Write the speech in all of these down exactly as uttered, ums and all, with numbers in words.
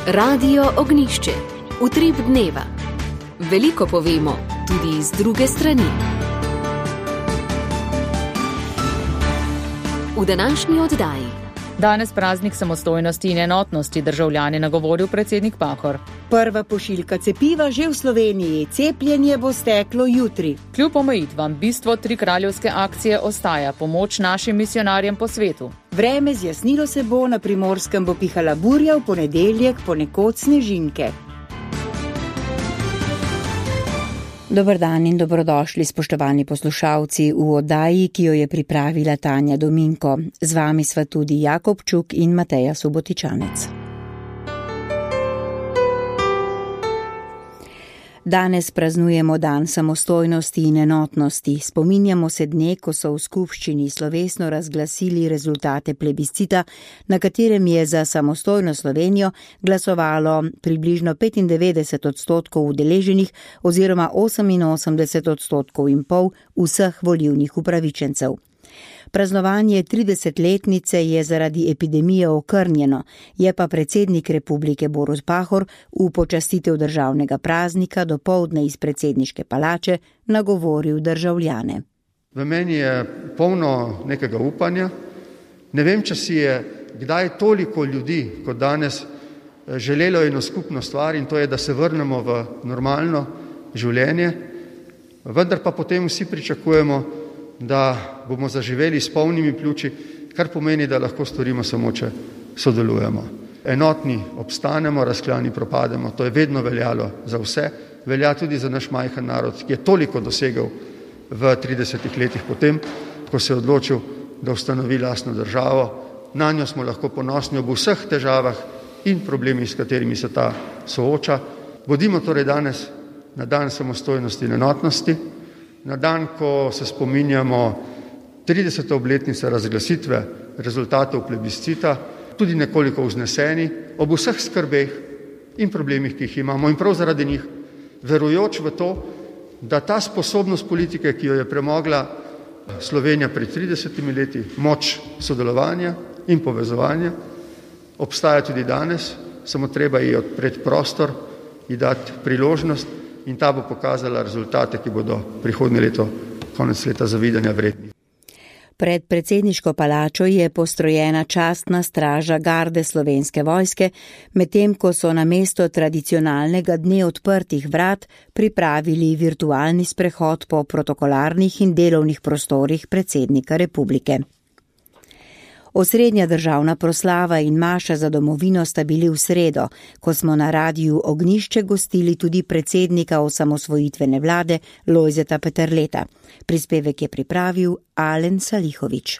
Radio Ognišče, utrip dneva. Veliko povemo, tudi z druge strani. V današnji oddaji. Danes praznik samostojnosti in enotnosti državljane nagovoril predsednik Pahor. Prva pošiljka cepiva že v Sloveniji, cepljenje bo steklo jutri. Kljub omejitvam bistvo trikraljevske akcije ostaja pomoč našim misionarjem po svetu. Vreme zjasnilo se bo, na Primorskem bo pihala burja, v ponedeljek ponekod snežinke. Dober dan in dobrodošli, spoštovani poslušalci, v oddaji, ki jo je pripravila Tanja Dominko. Z vami sva tudi Jakob Čuk in Mateja Subotičanec. Danes praznujemo dan samostojnosti in enotnosti. Spominjamo se dne, ko so v skupščini slovesno razglasili rezultate plebiscita, na katerem je za samostojno Slovenijo glasovalo približno petindevetdeset odstotkov udeleženih oziroma oseminosemdeset odstotkov in pol vseh volilnih upravičencev. Praznovanje tridesetletnice je zaradi epidemije okrnjeno, je pa predsednik republike Borut Pahor v počastitev državnega praznika dopoldne iz predsedniške palače nagovoril državljane. V meni je polno nekega upanja. Ne vem, če si je kdaj toliko ljudi kot danes želelo eno skupno stvar, in to je, da se vrnemo v normalno življenje, vendar pa potem vsi pričakujemo, da bomo zaživeli s polnimi pljuči, kar pomeni, da lahko storimo samo, če sodelujemo. Enotni obstanemo, razklani propademo. To je vedno veljalo za vse. Velja tudi za naš majhen narod, ki je toliko dosegel v tridesetih letih potem, ko se je odločil, da ustanovi lastno državo. Na njo smo lahko ponosni ob vseh težavah in problemih, s katerimi se ta sooča. Bodimo torej danes na dan samostojnosti in enotnosti, na dan, ko se spominjamo tridesete obletnice razglasitve rezultatov plebiscita, tudi nekoliko vzneseni ob vseh skrbeh in problemih, ki jih imamo, in prav zaradi njih, verujoč v to, da ta sposobnost politike, ki jo je premogla Slovenija pred tridesetimi leti, moč sodelovanja in povezovanja, obstaja tudi danes, samo treba ji odpreti prostor, ji dati priložnost, in ta bo pokazala rezultate, ki bodo prihodnje leto, konec leta zavidanja vredni. Pred predsedniško palačo je postrojena častna straža garde Slovenske vojske, medtem ko so na mesto tradicionalnega dne odprtih vrat pripravili virtualni sprehod po protokolarnih in delovnih prostorih predsednika republike. Osrednja državna proslava in maša za domovino sta bili v sredo, ko smo na Radiu Ognišče gostili tudi predsednika osamosvojitvene vlade Lojzeta Peterleta. Prispevek je pripravil Alen Salihovič.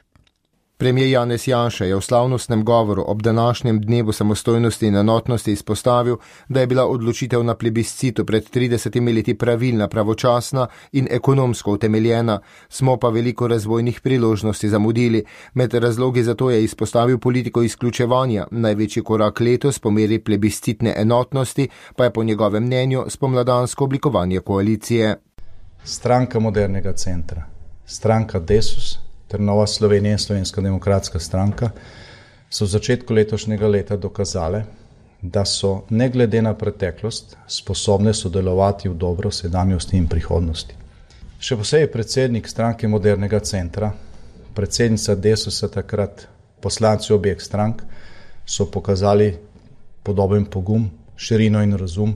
Premijer Janez Janša je v slavnostnem govoru ob današnjem dnevu samostojnosti in enotnosti izpostavil, da je bila odločitev na plebiscitu pred tridesetimi leti pravilna, pravočasna in ekonomsko utemeljena, smo pa veliko razvojnih priložnosti zamudili. Med razlogi za to je izpostavil politiko izključevanja. Največji korak letos po meri plebiscitne enotnosti pa je po njegovem mnenju spomladansko oblikovanje koalicije. Stranka modernega centra, stranka Desus ter Nova Slovenija in Slovenska demokratska stranka so v začetku letošnjega leta dokazale, da so ne glede na preteklost sposobne sodelovati v dobro sedanjosti in prihodnosti. Še posebej predsednik stranke modernega centra, predsednica Desusa takrat, poslanci obeh strank so pokazali podoben pogum, širino in razum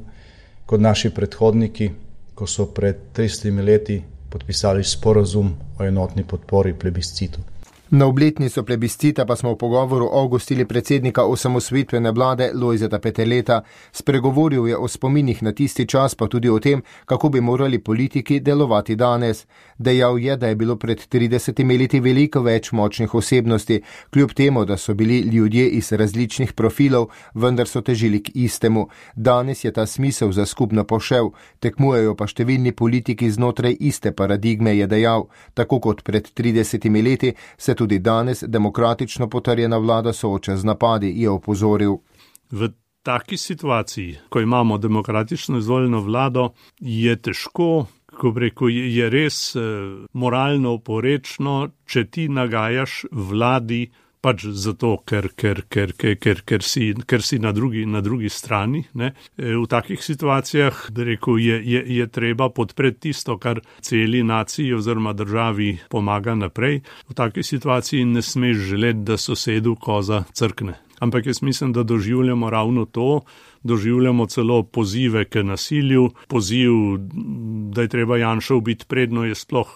kot naši predhodniki, ko so pred tridesetimi leti podpisali sporazum o enotni podpori plebiscitu. Na obletnico plebiscita pa smo v pogovoru ogostili predsednika osamosvojitvene vlade Lojzeta Peterleta. Spregovoril je o spominih na tisti čas, pa tudi o tem, kako bi morali politiki delovati danes. Dejal je, da je bilo pred tridesetimi leti veliko več močnih osebnosti, kljub temu, da so bili ljudje iz različnih profilov, vendar so težili k istemu. Danes je ta smisel za skupno pošel, tekmujejo pa številni politiki znotraj iste paradigme, je dejal. Tako kot pred tridesetimi leti se tudi danes demokratično potrjena vlada sooča z napadi, je opozoril. V taki situaciji, ko imamo demokratično izvoljeno vlado, je težko, ko rekel, je res moralno oporečno, če ti nagajaš vladi pač zato, ker, ker, ker, ker, ker, ker si, ker si na, drugi, na drugi strani. Ne. V takih situacijah, da rekel, je, je, je treba podpreti tisto, kar celi naciji oziroma državi pomaga naprej. V takej situaciji ne smeš želeti, da sosedu koza crkne. Ampak jaz mislim, da doživljamo ravno to, doživljamo celo pozive k nasilju, poziv, da je treba Janšo ubiti predno je sploh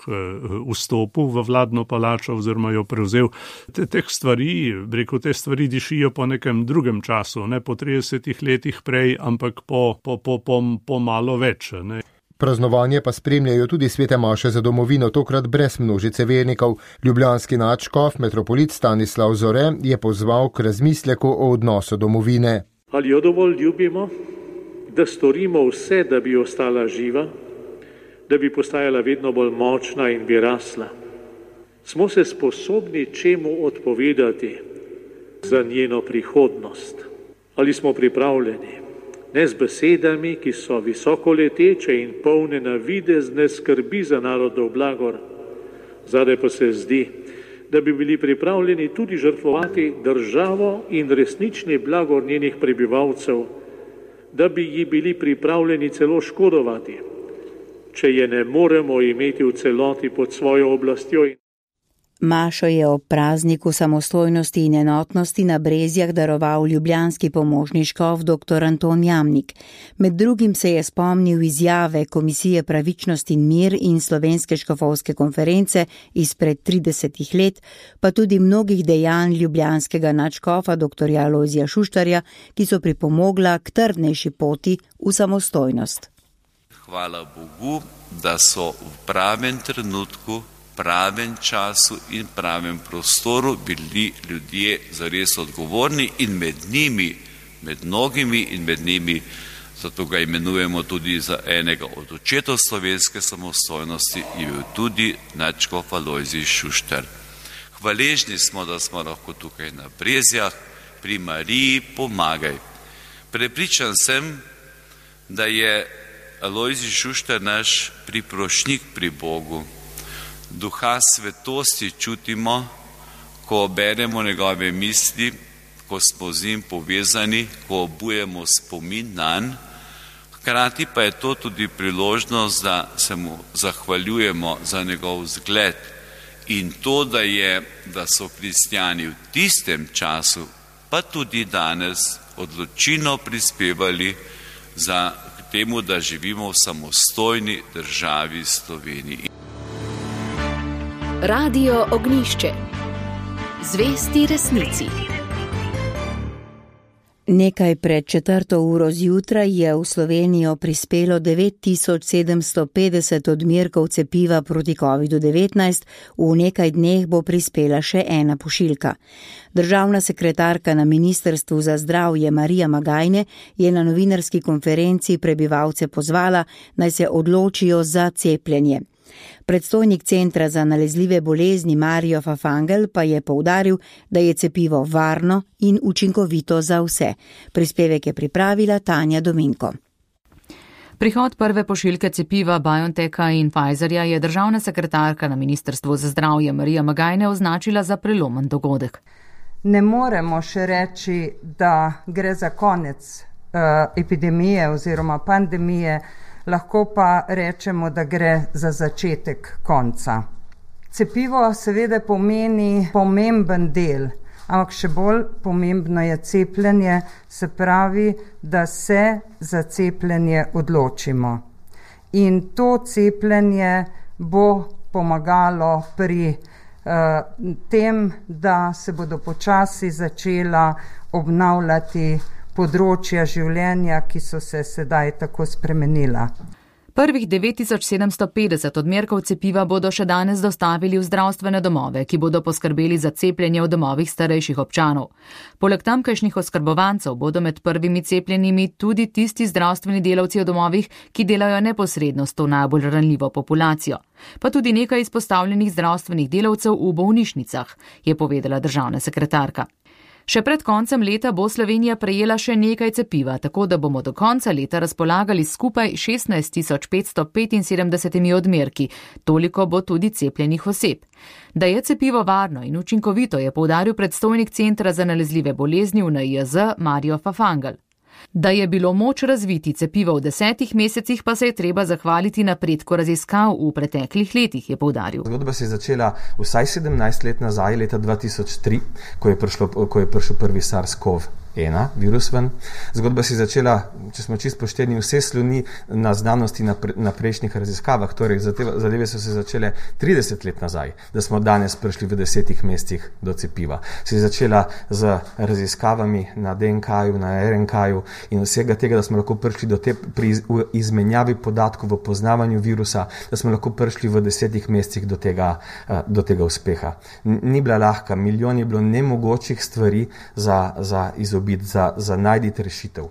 vstopil v vladno palačo oziroma jo prevzel. Te, teh stvari, rekel, te stvari dišijo po nekem drugem času, ne po tridesetih letih prej, ampak po, po, po, po, po malo več. Ne. Praznovanje pa spremljajo tudi svete maše za domovino, tokrat brez množice vernikov. Ljubljanski nadškof, metropolit Stanislav Zore, je pozval k razmisleku o odnosu domovine. Ali jo dovolj ljubimo, da storimo vse, da bi ostala živa, da bi postajala vedno bolj močna in bi rasla? Smo se sposobni čemu odpovedati za njeno prihodnost? Ali smo pripravljeni? Ne z besedami, ki so visoko leteče in polne navidezne skrbi za narodov blagor. Zadaj pa se zdi, da bi bili pripravljeni tudi žrtvovati državo in resnični blagor njenih prebivalcev, da bi ji bili pripravljeni celo škodovati, če je ne moremo imeti v celoti pod svojo oblastjo. Mašo je ob prazniku samostojnosti in enotnosti na Brezjah daroval ljubljanski pomožni škof dr. Anton Jamnik. Med drugim se je spomnil izjave Komisije Pravičnost in mir in Slovenske škofovske konference izpred tridesetih let, pa tudi mnogih dejanj ljubljanskega nadškofa dr. Lojzija Šuštarja, ki so pripomogla k trdnejši poti v samostojnost. Hvala Bogu, da so v pravem trenutku, pravem času in pravem prostoru bili ljudje zares odgovorni in med njimi, med mnogimi in med njimi, zato ga imenujemo tudi za enega od očetov slovenske samostojnosti, je bil tudi nadškof Lojzij Šuštar. Hvaležni smo, da smo lahko tukaj na Brezjah, pri Mariji pomagaj. Prepričan sem, da je Lojzij Šuštar naš priprošnjik pri Bogu. Duha svetosti čutimo, ko beremo njegove misli, ko smo z njim povezani, ko obujemo spomin nanj. Hkrati pa je to tudi priložnost, da se mu zahvaljujemo za njegov zgled in to, da, je, da so kristjani v tistem času, pa tudi danes, odločilno prispevali za temu, da živimo v samostojni državi Sloveniji. Radio Ognjišče. Zvesti resnici. Nekaj pred četrto uro zjutraj je v Slovenijo prispelo devet tisoč sedemsto petdeset odmerkov cepiva proti kovidu devetnajst, v nekaj dneh bo prispela še ena pošiljka. Državna sekretarka na Ministrstvu za zdravje Marija Magajne je na novinarski konferenci prebivalce pozvala, naj se odločijo za cepljenje. Predstojnik Centra za nalezljive bolezni Marijo Fafangel pa je poudaril, da je cepivo varno in učinkovito za vse. Prispevek je pripravila Tanja Dominko. Prihod prve pošiljke cepiva BioNTecha in Pfizerja je državna sekretarka na Ministrstvu za zdravje Marija Magajne označila za prelomen dogodek. Ne moremo še reči, da gre za konec uh, epidemije oziroma pandemije, lahko pa rečemo, da gre za začetek konca. Cepivo seveda pomeni pomemben del, ampak še bolj pomembno je cepljenje, se pravi, da se za cepljenje odločimo. In to cepljenje bo pomagalo pri uh, tem, da se bodo počasi začela obnavljati področja življenja, ki so se sedaj tako spremenila. Prvih devet tisoč sedemsto petdeset odmerkov cepiva bodo še danes dostavili v zdravstvene domove, ki bodo poskrbeli za cepljenje v domovih starejših občanov. Poleg tamkajšnjih oskrbovancev bodo med prvimi cepljenimi tudi tisti zdravstveni delavci v domovih, ki delajo neposredno s to najbolj ranljivo populacijo. Pa tudi nekaj izpostavljenih zdravstvenih delavcev v bolnišnicah, je povedala državna sekretarka. Še pred koncem leta bo Slovenija prejela še nekaj cepiva, tako da bomo do konca leta razpolagali skupaj šestnajst tisoč petsto petinsedemdeset odmerki, toliko bo tudi cepljenih oseb. Da je cepivo varno in učinkovito, je poudaril predstojnik Centra za nalezljive bolezni v N I J Z Mario Fafangel. Da je bilo moč razviti cepivo v desetih mesecih, pa se je treba zahvaliti napredku raziskav v preteklih letih, je poudaril. Zgodba se je začela vsaj sedemnajst let nazaj, leta dva tisoč tri, ko je, prišlo, ko je prišel prvi SARS-CoV ena virus ven. Zgodba se je začela, če smo čisto pošteni, vse sloni na znanosti na, pre, na prejšnjih raziskavah, torej zadeve so se začele trideset let nazaj, da smo danes prišli v desetih mesecih do cepiva. Se je začela z raziskavami na D N K-ju, na R N K-ju in vsega tega, da smo lahko prišli do te pri izmenjavi podatkov v poznavanju virusa, da smo lahko prišli v desetih mesecih do tega, do tega uspeha. Ni bila lahka, milijon je bilo nemogočih stvari za, za izobiti. Za, za najditi rešitev.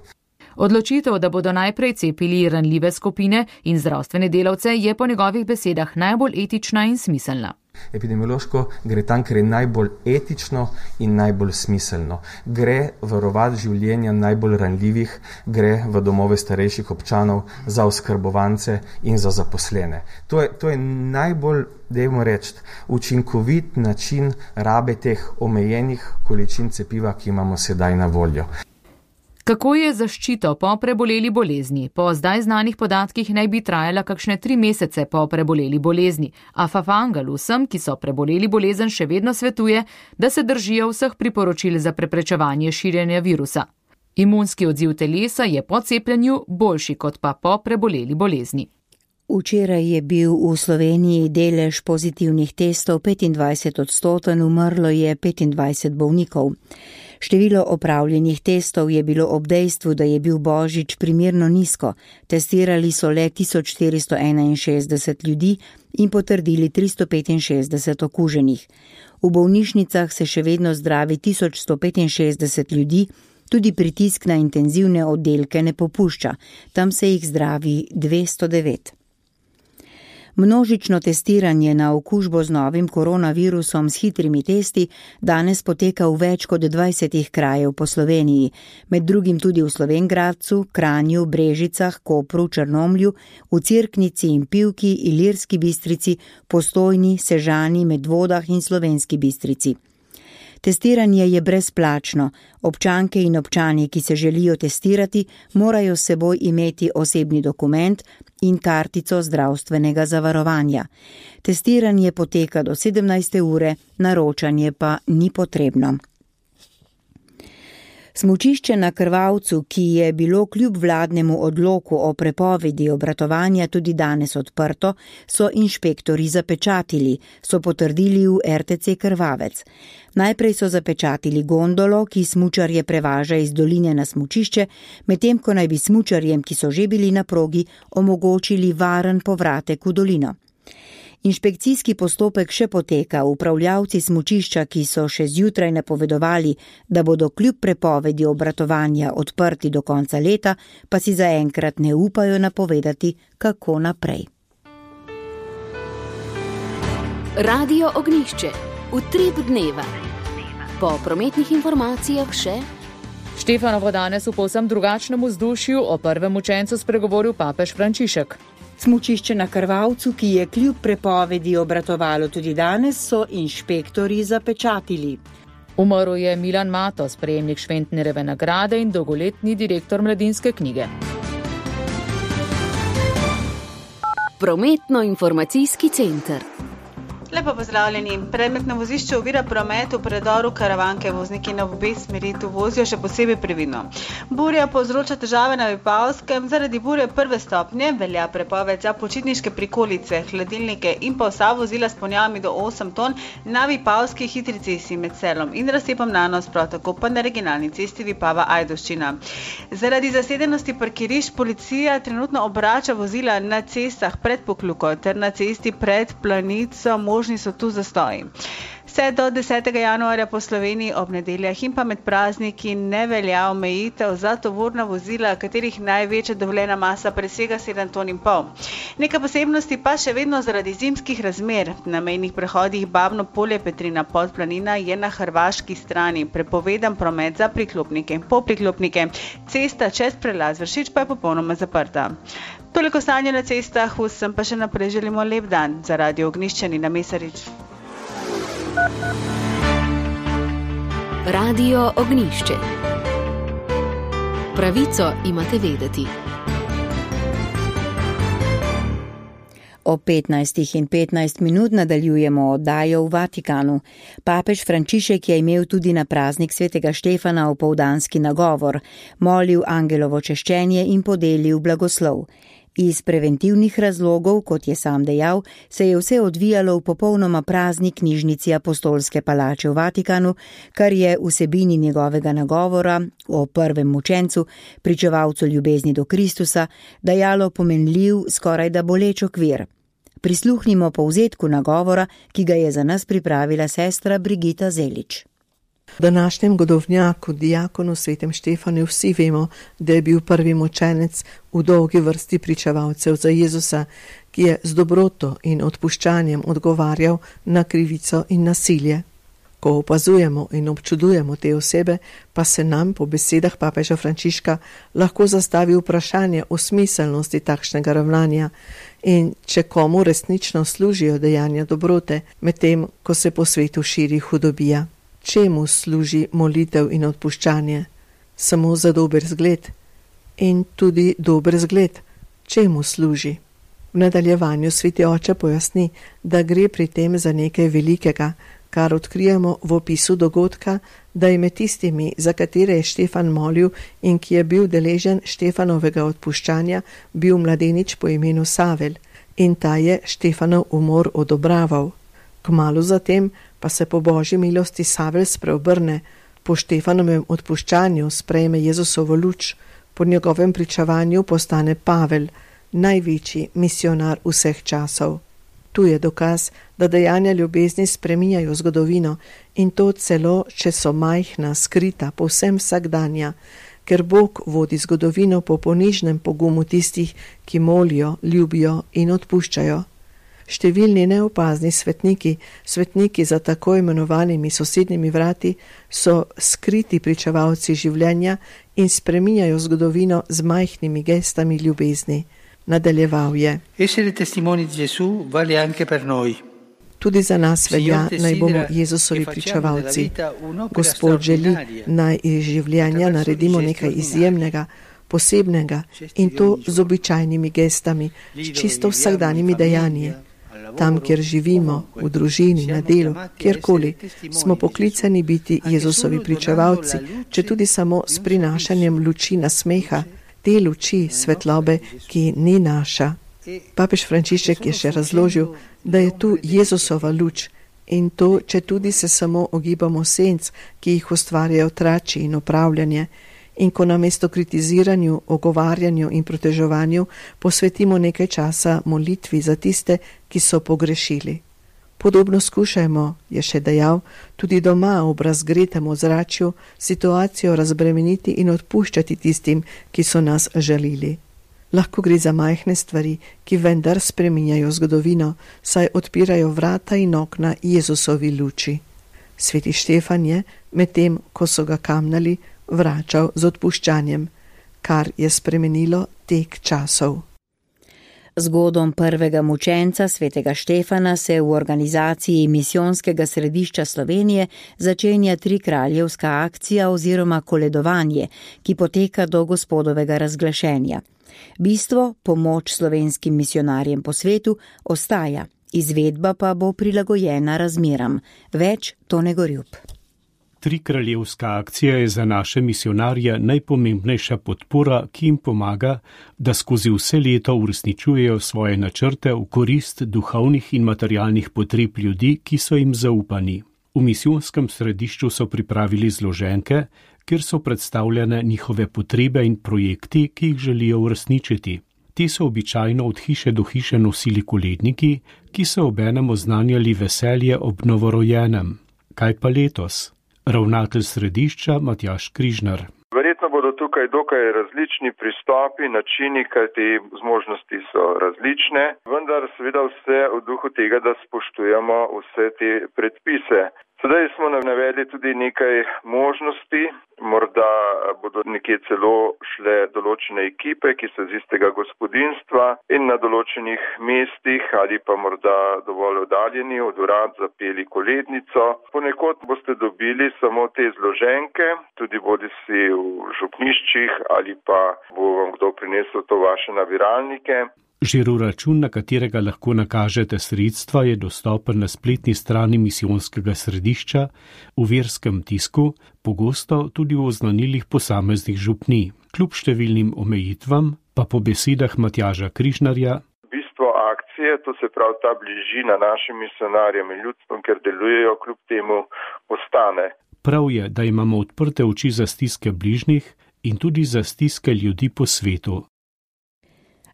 Odločitev, da bodo najprej cepili ranljive skupine in zdravstvene delavce, je po njegovih besedah najbolj etična in smiselna. Epidemiološko gre tam, ker je najbolj etično in najbolj smiselno. Gre varovati življenja najbolj ranljivih, gre v domove starejših občanov, za oskrbovance in za zaposlene. To je, to je najbolj, dajmo reči, učinkovit način rabe teh omejenih količin cepiva, ki imamo sedaj na voljo. Kako je zaščito po preboleli bolezni? Po zdaj znanih podatkih naj bi trajala kakšne tri mesece po preboleli bolezni, a Fafangel vsem, ki so preboleli bolezen, še vedno svetuje, da se držijo vseh priporočil za preprečevanje širjenja virusa. Imunski odziv telesa je po cepljenju boljši kot pa po preboleli bolezni. Včeraj je bil v Sloveniji delež pozitivnih testov petindvajset odstoten, umrlo je petindvajset bolnikov. Število opravljenih testov je bilo ob dejstvu, da je bil božič primerno nizko. Testirali so le tisoč štiristo enainšestdeset ljudi in potrdili tristo petinšestdeset okuženih. V bolnišnicah se še vedno zdravi tisoč sto petinšestdeset ljudi, tudi pritisk na intenzivne oddelke ne popušča, tam se jih zdravi dvesto devet. Množično testiranje na okužbo z novim koronavirusom s hitrimi testi danes poteka v več kot dvajsetih krajev po Sloveniji, med drugim tudi v Slovenj Gradcu, Kranju, Brežicah, Kopru, Črnomlju, v Cerknici in Pivki, Ilirski Bistrici, Postojni, Sežani, Medvodah in Slovenski Bistrici. Testiranje je brezplačno. Občanke in občani, ki se želijo testirati, morajo s seboj imeti osebni dokument in kartico zdravstvenega zavarovanja. Testiranje poteka do sedemnajste ure, naročanje pa ni potrebno. Smučišče na Krvavcu, ki je bilo kljub vladnemu odloku o prepovedi obratovanja tudi danes odprto, so inšpektori zapečatili, so potrdili v R T C Krvavec. Najprej so zapečatili gondolo, ki smučarje prevaža iz doline na smučišče, medtem ko naj bi smučarjem, ki so že bili na progi, omogočili varen povratek v dolino. Inšpekcijski postopek še poteka, upravljavci smučišča, ki so še zjutraj napovedovali, da bodo kljub prepovedi obratovanja odprti do konca leta, pa si zaenkrat ne upajo napovedati, kako naprej. Radio Ognjišče, utrip dneva. Po prometnih informacijah še... Štefanovo danes v povsem drugačnem vzdušju o prvem učencu spregovoril papež Frančišek. Smučišče na Krvavcu, ki je kljub prepovedi obratovalo tudi danes, so inšpektori zapečatili. Umrl je Milan Matos, prejemnik Šventnerjeve nagrade in dolgoletni direktor Mladinske knjige. Prometno-informacijski center. Lepo pozdravljeni. Predmet na vozišču ovira promet v predoru Karavanke. Vozniki na obe smeri tu vozijo še posebej previdno. Burja povzroča težave na Vipavskem. Zaradi burje prve stopnje velja prepoved za počitniške prikolice, hladilnike in pa vsa vozila s ponjavami do osem ton na Vipavski hitri cesti med Selom in razcepom Nanos, prav tako pa na regionalni cesti Vipava-Ajdovščina. Zaradi zasedenosti parkirišč policija trenutno obrača vozila na cestah pred Pokluko ter na cesti pred Planico. Možni so tu zastoji. Vse do desetega januarja po Sloveniji ob nedeljah in pa med prazniki ne velja omejitev za tovorna vozila, katerih največja dovoljena masa presega sedem ton in pol. Nekaj posebnosti pa še vedno zaradi zimskih razmer. Na mejnih prehodih Babno Polje Petrina Podplanina je na hrvaški strani prepovedan promet za priklopnike in popriklopnike. Cesta čez prelaz Vršič pa je popolnoma zaprta. Toliko stanja na cestah, vsem pa še naprej želimo lep dan. Za Radio Ognjišče Nina Mesarič. Radio Ognjišče. Pravico imate vedeti. O petnajstih in petnajst minut nadaljujemo oddajo v Vatikanu. Papež Frančišek je imel tudi na praznik svetega Štefana opoldanski nagovor, molil angelovo češčenje in podelil blagoslov. Iz preventivnih razlogov, kot je sam dejal, se je vse odvijalo v popolnoma prazni knjižnici Apostolske palače v Vatikanu, kar je vsebini njegovega nagovora o prvem mučencu, pričevalcu ljubezni do Kristusa, dajalo pomenljiv, skoraj da boleč okvir. Prisluhnimo povzetku nagovora, ki ga je za nas pripravila sestra Brigita Zelič. V današnjem godovnjaku, diakonu svetem Štefanu, vsi vemo, da je bil prvi mučenec v dolgi vrsti pričevalcev za Jezusa, ki je z dobroto in odpuščanjem odgovarjal na krivico in nasilje. Ko opazujemo in občudujemo te osebe, pa se nam, po besedah papeža Frančiška, lahko zastavi vprašanje o smiselnosti takšnega ravnanja in če komu resnično služijo dejanja dobrote, medtem ko se po svetu širi hudobija. Čemu služi molitev in odpuščanje? Samo za dober zgled. In tudi dober zgled, čemu služi? V nadaljevanju sveti oče pojasni, da gre pri tem za nekaj velikega, kar odkrijemo v opisu dogodka, da je med tistimi, za katere je Štefan molil in ki je bil deležen Štefanovega odpuščanja, bil mladenič po imenu Savel in ta je Štefanov umor odobraval. Kmalu zatem pa se po božji milosti Savel spreobrne, po Štefanovem odpuščanju sprejme Jezusovo luč, po njegovem pričevanju postane Pavel, največji misionar vseh časov. Tu je dokaz, da dejanja ljubezni spreminjajo zgodovino in to celo, če so majhna, skrita, povsem vsakdanja, ker Bog vodi zgodovino po ponižnem pogumu tistih, ki molijo, ljubijo in odpuščajo. Številni neopazni svetniki, svetniki za tako imenovanimi sosednjimi vrati, so skriti pričevalci življenja in spreminjajo zgodovino z majhnimi gestami ljubezni. Nadaljeval je. Essere testimoni di Gesù vale anche per noi. Tudi za nas velja, naj bomo Jezusovi pričevalci. Gospod želi, naj iz življenja naredimo nekaj izjemnega, posebnega in to z običajnimi gestami, s čisto vsakdanjimi dejanji. Tam, kjer živimo, v družini, na delu, kjerkoli, smo poklicani biti Jezusovi pričevalci, če tudi samo s prinašanjem luči nasmeha, te luči svetlobe, ki ni naša. Papež Frančišek je še razložil, da je tu Jezusova luč in to, če tudi se samo ogibamo senc, ki jih ustvarjajo trači in opravljanje, in ko namesto kritiziranju, ogovarjanju in proteževanju posvetimo nekaj časa molitvi za tiste, ki so pogrešili. Podobno skušajmo, je še dejal, tudi doma v razgretem ozračju situacijo razbremeniti in odpuščati tistim, ki so nas žalili. Lahko gre za majhne stvari, ki vendar spreminjajo zgodovino, saj odpirajo vrata in okna Jezusovi luči. Sveti Štefan je, medtem ko so ga kamnali, vračal z odpuščanjem, kar je spremenilo tek časov. Zgodom prvega mučenca svetega Štefana se v organizaciji Misijonskega središča Slovenije začenja trikraljevska akcija oziroma koledovanje, ki poteka do Gospodovega razglašenja. Bistvo, pomoč slovenskim misionarjem po svetu, ostaja, izvedba pa bo prilagojena razmeram. Več Tone Gorjup. Trikraljevska akcija je za naše misionarje najpomembnejša podpora, ki jim pomaga, da skozi vse leto uresničujejo svoje načrte v korist duhovnih in materialnih potreb ljudi, ki so jim zaupani. V misijonskem središču so pripravili zloženke, kjer so predstavljene njihove potrebe in projekti, ki jih želijo uresničiti. Te so običajno od hiše do hiše nosili koledniki, ki so obenem oznanjali veselje ob novorojenem. Kaj pa letos? Ravnatelj središča Matjaž Križnar. Verjetno bodo tukaj dokaj različni pristopi, načini, kajti zmožnosti so različne, vendar seveda vse v duhu tega, da spoštujemo vse te predpise. Sedaj smo navedli tudi nekaj možnosti, morda bodo nekje celo šle določene ekipe, ki so z istega gospodinjstva in na določenih mestih ali pa morda dovolj oddaljeni od urad zapeli kolednico. Ponekod boste dobili samo te zloženke, tudi bodisi v župniščih ali pa bo vam kdo prinesel to vaše nabiralnike. Žiro račun, na katerega lahko nakažete sredstva, je dostopen na spletni strani misijonskega središča, v verskem tisku, pogosto tudi v oznanilih posameznih župnij. Kljub številnim omejitvam, pa po besedah Matjaža Križnarja, bistvo akcije, to se pravi ta bližina našim misionarjem in ljudstvom, ker delujejo, kljub temu ostane. Prav je, da imamo odprte oči za stiske bližnjih in tudi za stiske ljudi po svetu.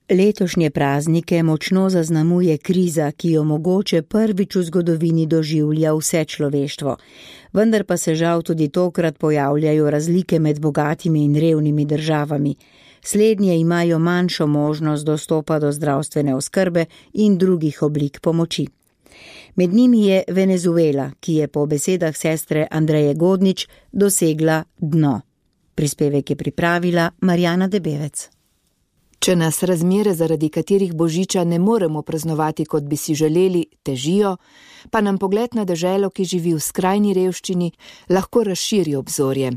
Letošnje praznike močno zaznamuje kriza, ki jo mogoče prvič v zgodovini doživlja vse človeštvo. Vendar pa se žal tudi tokrat pojavljajo razlike med bogatimi in revnimi državami. Slednje imajo manjšo možnost dostopa do zdravstvene oskrbe in drugih oblik pomoči. Med njimi je Venezuela, ki je po besedah sestre Andreje Godnič dosegla dno. Prispevek je pripravila Marjana Debevec. Če nas razmere, zaradi katerih božiča ne moremo praznovati, kot bi si želeli, težijo, pa nam pogled na deželo, ki živi v skrajni revščini, lahko razširi obzorje.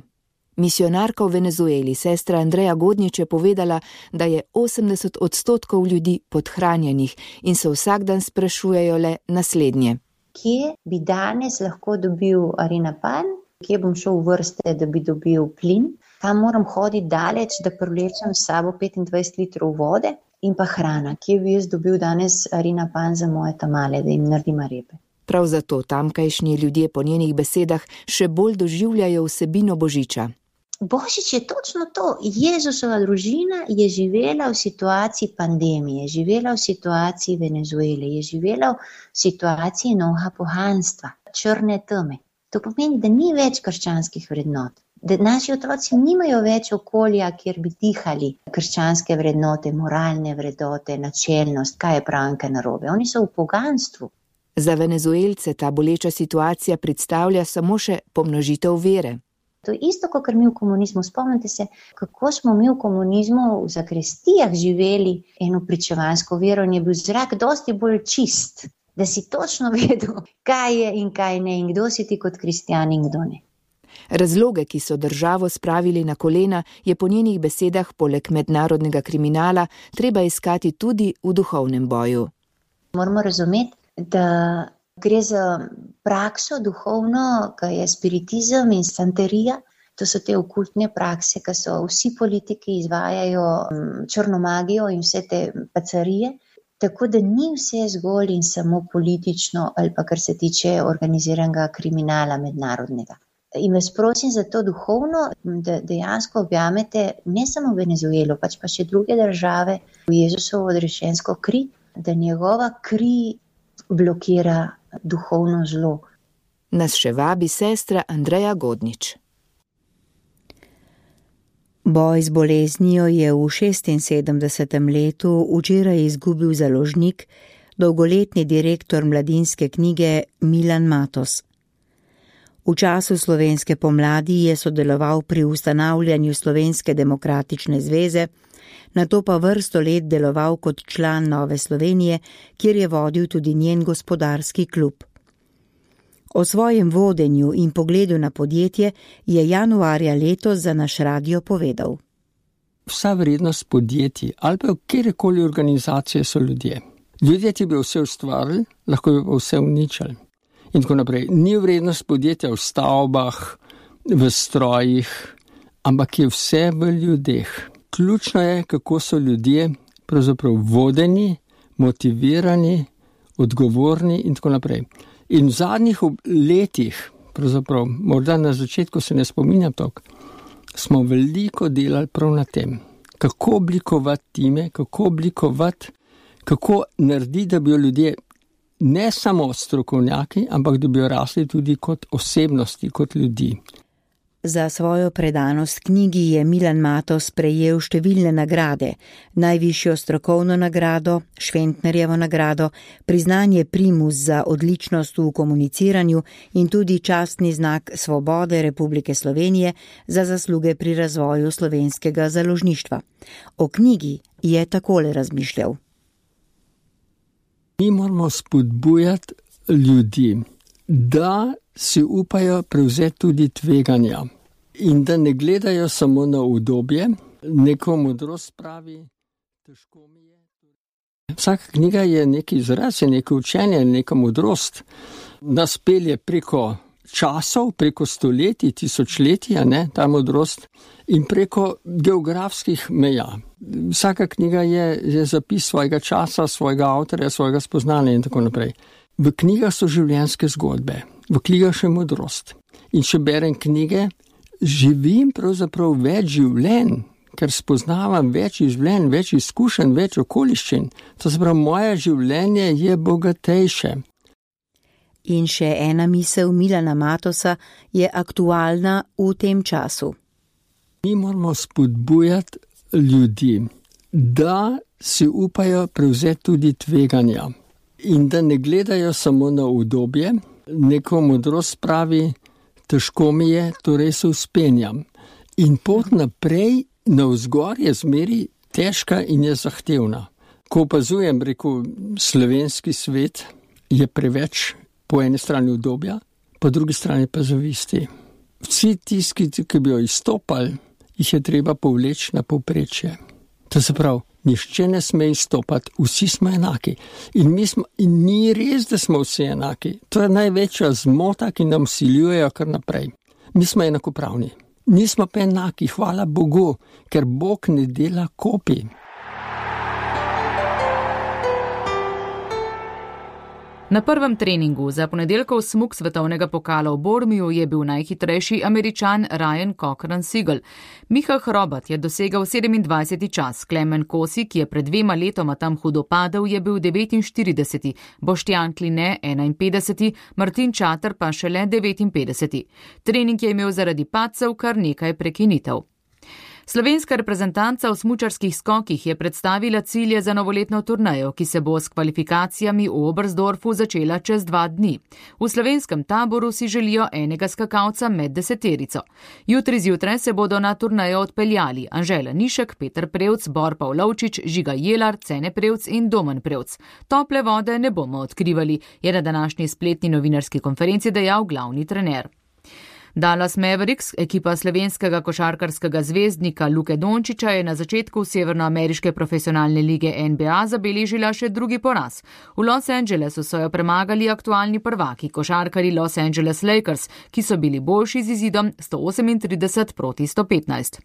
Misionarka v Venezueli, sestra Andreja Godnič, je povedala, da je osemdeset odstotkov ljudi podhranjenih in se vsak dan sprašujejo le naslednje. Kje bi danes lahko dobil arinapan? Kje bom šel v vrste, da bi dobil plin? Tam moram hoditi daleč, da privlečem s sabo petindvajset litrov vode in pa hrana. Kje bi jaz dobil danes arinapan za moje tamale, da jim naredim repe? Prav zato tamkajšnji ljudje po njenih besedah še bolj doživljajo vsebino božiča. Božič je točno to. Jezusova družina je živela v situaciji pandemije, je živela v situaciji Venezuele, je živela v situaciji novega pohanstva, črne teme. To pomeni, da ni več krščanskih vrednot. Da naši otroci nimajo več okolja, kjer bi dihali krščanske vrednote, moralne vrednote, načelnost, kaj je prav in kaj narobe. Oni so v poganstvu. Za Venezuelce ta boleča situacija predstavlja samo še pomnožitev vere. To je isto, kot mi v komunizmu. Spomnite se, kako smo mi v komunizmu v zakristijah živeli eno pričevansko vero in je bil zrak dosti bolj čist, da si točno vedel, kaj je in kaj ne in kdo si ti kot kristjan in kdo ne. Razloge, ki so državo spravili na kolena, je po njenih besedah poleg mednarodnega kriminala treba iskati tudi v duhovnem boju. Moramo razumeti, da gre za prakso duhovno, ki je spiritizem in santerija. To so te okultne prakse, ki so vsi politiki izvajajo črno magijo in vse te pacarije. Tako da ni vse zgolj in samo politično ali pa kar se tiče organiziranega kriminala mednarodnega. In vas prosim za to duhovno, da dejansko objamete ne samo Venezuelo, pač pa še druge države v Jezusovo odrešensko kri, da njegova kri blokira duhovno zlo. Nas še vabi sestra Andreja Godnič. Boj z boleznijo je v šestinsedemdesetem letu včeraj izgubil založnik, dolgoletni direktor Mladinske knjige Milan Matos. V času slovenske pomladi je sodeloval pri ustanavljanju Slovenske demokratične zveze, nato pa vrsto let deloval kot član Nove Slovenije, kjer je vodil tudi njen gospodarski klub. O svojem vodenju in pogledu na podjetje je januarja letos za naš radio povedal. Vsa vrednost podjetij ali pa kjerkoli organizacije so ljudje. Ljudje ti bi vse ustvarili, lahko bi pa vse uničili. In tako naprej. Ni vrednost podjetja v stavbah, v strojih, ampak je vse v ljudeh. Ključno je, kako so ljudje pravzaprav vodeni, motivirani, odgovorni in tako naprej. In v zadnjih letih, pravzaprav morda na začetku se ne spominjam toliko, smo veliko delali prav na tem. Kako oblikovati time, kako oblikovati, kako narediti, da bi ljudje ne samo strokovnjaki, ampak da bi rasli tudi kot osebnosti, kot ljudi. Za svojo predanost knjigi je Milan Matos prejel številne nagrade, najvišjo strokovno nagrado, Šventnerjevo nagrado, priznanje primus za odličnost v komuniciranju in tudi častni znak Svobode Republike Slovenije za zasluge pri razvoju slovenskega založništva. O knjigi je takole razmišljal. Mi moramo spodbujati ljudi, da si upajo prevzeti tudi tveganja in da ne gledajo samo na udobje, neko modrost pravi, težko mi je. Vsaka knjiga je neki izraz, je neko učenje, neka modrost. Nas pelje preko časov, preko stoletij, tisočletja, ne, ta modrost, in preko geografskih meja. Vsaka knjiga je, je zapis svojega časa, svojega avtorja, svojega spoznanja in tako naprej. V knjigah so življenjske zgodbe, v knjigah še modrost. In če berem knjige, živim pravzaprav več življenj, ker spoznavam več življenj, več izkušenj, več okoliščin. To se pravi, moje življenje je bogatejše. In še ena misel Milana Matosa je aktualna v tem času. Mi moramo spodbujati ljudi, da si upajo prevzeti tudi tveganja in da ne gledajo samo na udobje, neko modrost pravi, težko mi je, torej se vzpenjam. In pot naprej navzgor je zmeri težka in je zahtevna. Ko opazujem, rekel, slovenski svet je preveč po eni strani udobja, po drugi strani pa zavisti. Vsi tisti, ki bi jo izstopali, jih je treba povleči na povprečje. To se pravi, nišče ne sme izstopati, vsi smo enaki. In, mi smo, in ni res, da smo vsi enaki. To je največja zmota, ki nam siljujejo kar naprej. Mi smo enakopravni. Nismo pa enaki, hvala Bogu, ker Bog ne dela kopij. Na prvem treningu za ponedeljkov smuk svetovnega pokala v Bormiju je bil najhitrejši Američan Ryan Cochran-Siegel. Miha Hrobat je dosegal sedemindvajseti čas, Klemen Kosi, ki je pred dvema letoma tam hudo padel, je bil devetinštirideseti, Boštjan Kline enainpetdeseti, Martin Čater pa šele devetinpetdeseti. Trening je imel zaradi padcev kar nekaj prekinitev. Slovenska reprezentanca v smučarskih skokih je predstavila cilje za novoletno turnejo, ki se bo s kvalifikacijami v Oberstdorfu začela čez dva dni. V slovenskem taboru si želijo enega skakalca med deseterico. Jutri zjutraj se bodo na turnejo odpeljali Anžela Nišek, Peter Prevc, Bor Pavlovčič, Žiga Jelar, Cene Prevc in Domen Prevc. Tople vode ne bomo odkrivali, je na današnji spletni novinarski konferenci dejal glavni trener. Dallas Mavericks, ekipa slovenskega košarkarskega zvezdnika Luke Dončića, je na začetku severnoameriške profesionalne lige N B A zabeležila še drugi poraz. V Los Angelesu so jo premagali aktualni prvaki, košarkarji Los Angeles Lakers, ki so bili boljši z izidom sto osemintrideset proti sto petnajst.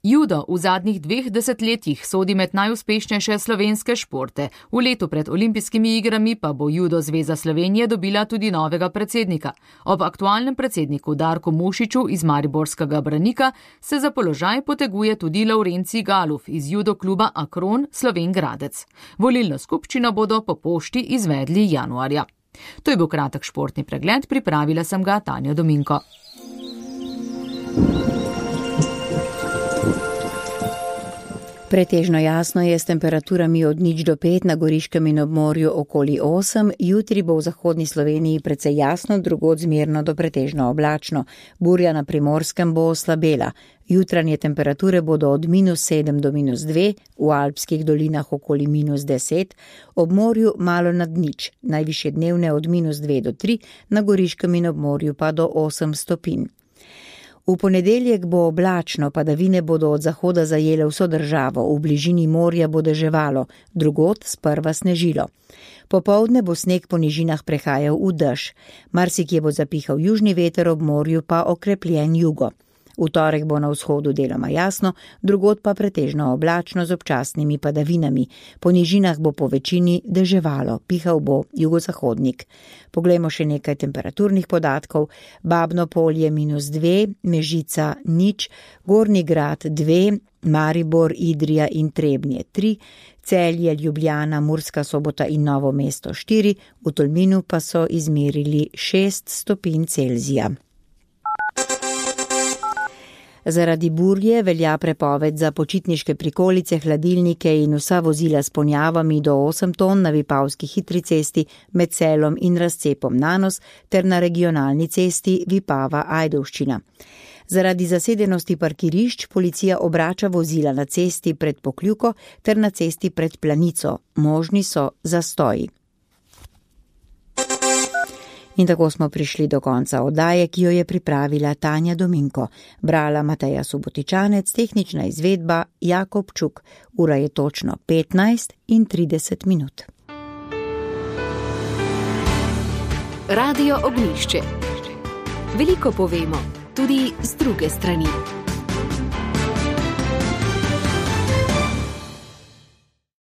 Judo v zadnjih dveh desetletjih sodi med najuspešnejše slovenske športe. V letu pred olimpijskimi igrami pa bo Judo Zveza Slovenije dobila tudi novega predsednika. Ob aktualnem predsedniku Darku Mušiču iz mariborskega Branika se za položaj poteguje tudi Laurenci Galuf iz judo kluba Akron Sloven Gradec. Volilno skupščino bodo po pošti izvedli januarja. To je bil kratek športni pregled, pripravila sem ga Tanja Dominko. Pretežno jasno je s temperaturami od nič do pet, na Goriškem in ob morju okoli osem, jutri bo v zahodni Sloveniji precej jasno, drugod zmerno do pretežno oblačno. Burja na Primorskem bo oslabela. Jutranje temperature bodo od minus sedem do minus dve, v alpskih dolinah okoli minus deset, ob morju malo nad nič, najvišje dnevne od minus dve do tri, na Goriškem in ob morju pa do osem stopinj. V ponedeljek bo oblačno, padavine bodo od zahoda zajele vso državo, v bližini morja bo deževalo, drugod sprva snežilo. Popoldne bo sneg po nižinah prehajal v dež, marsikje bo zapihal južni veter, ob morju pa okrepljen jugo. V torek bo na vzhodu deloma jasno, drugod pa pretežno oblačno z občasnimi padavinami. Po nižinah bo po večini deževalo, pihal bo jugozahodnik. Poglejmo še nekaj temperaturnih podatkov. Babno Polje minus dve, Mežica nič, Gornji Grad dve, Maribor, Idrija in Trebnje tri, Celje, Ljubljana, Murska Sobota in Novo mesto štiri, v Tolminu pa so izmerili šest stopinj Celzija. Zaradi burje velja prepoved za počitniške prikolice, hladilnike in vsa vozila s ponjavami do osem ton na Vipavski hitri cesti med Selom in razcepom Nanos ter na regionalni cesti Vipava-Ajdovščina. Zaradi zasedenosti parkirišč policija obrača vozila na cesti pred Pokljuko ter na cesti pred Planico. Možni so zastoji. In tako smo prišli do konca oddaje, ki jo je pripravila Tanja Dominko. Brala Mateja Subotičanec, tehnična izvedba Jakob Čuk. Ura je točno petnajst in trideset minut. Radio Ognjišče. Veliko povemo, tudi z druge strani.